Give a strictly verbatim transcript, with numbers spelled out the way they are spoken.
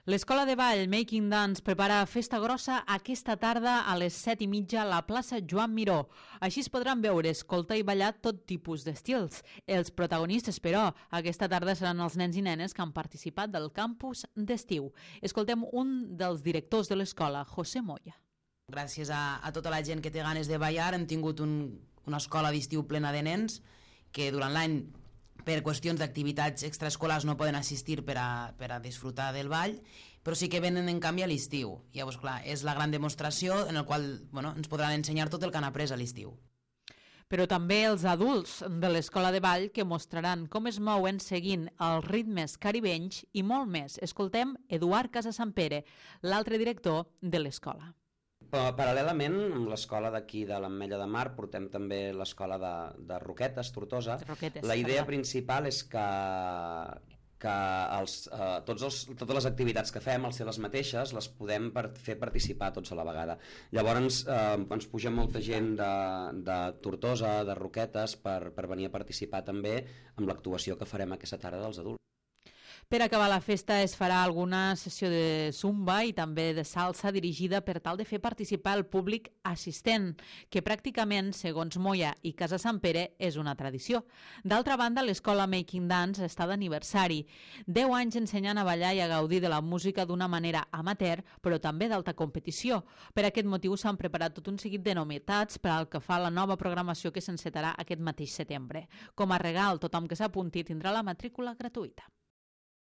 L'Escola de Ball Making Dance prepara festa grossa aquesta tarda a les set i mitja a la plaça Joan Miró. Així es podran veure, escoltar i ballar tot tipus d'estils. Els protagonistes, però, aquesta tarda seran els nens i nenes que han participat del campus d'estiu. Escoltem un dels directors de l'escola, José Moya. Gràcies a, a tota la gent que té ganes de ballar hem tingut un, una escola d'estiu plena de nens que durant l'any per qüestions d'activitats extraescolars no poden assistir per a, per a disfrutar del ball, però sí que venen en canvi a l'estiu. Llavors, clar, és la gran demostració en la qual bueno, ens podran ensenyar tot el que han après a l'estiu. Però també els adults de l'escola de ball que mostraran com es mouen seguint els ritmes caribenys i molt més. Escoltem Eduard Casasampere, l'altre director de l'escola. Paral·lelament, amb l'escola d'aquí de l'Ametlla de Mar portem també l'escola de, de Roquetes, Tortosa. Roquetes, la idea perdó. principal és que, que els, eh, tots els, totes les activitats que fem, al ser les mateixes, les podem per, fer participar tots a la vegada. Llavors eh, ens puja molta gent de, de Tortosa, de Roquetes, per, per venir a participar també amb l'actuació que farem aquesta tarda dels adults. Per acabar la festa es farà alguna sessió de zumba i també de salsa dirigida per tal de fer participar el públic assistent, que pràcticament, segons Moya i Casa Sant Pere, és una tradició. D'altra banda, l'escola Making Dance està d'aniversari. Deu anys ensenyant a ballar i a gaudir de la música d'una manera amateur, però també d'alta competició. Per aquest motiu s'han preparat tot un seguit de novetats per al que fa la nova programació que s'encetarà aquest mateix setembre. Com a regal, tothom que s'apunti tindrà la matrícula gratuïta.